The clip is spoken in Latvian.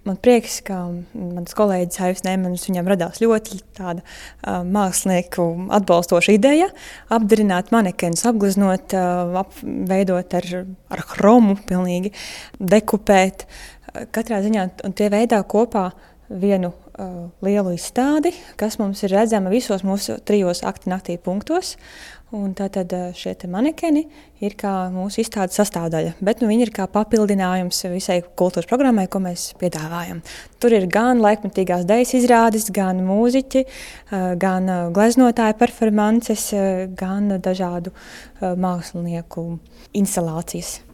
Man prieks, ka mans kolēģis Aivs Neimanis, viņam radās ļoti tāda mākslinieku atbalstoša ideja apdarināt manekenus, apgleznot, veidot ar hromu, pilnīgi dekupēt. Katrā ziņā un tie veidā kopā vienu lielu izstādi, kas mums ir redzama visos mūsu 3 akti naktī punktos. Un tātad šie te manekeni ir kā mūsu izstādes sastāvdaļa, bet viņi ir kā papildinājums visai kultūras programmai, ko mēs piedāvājam. Tur ir gan laikmetīgās dejas izrādes, gan mūziķi, gan gleznotāju performances, gan dažādu mākslinieku instalācijas.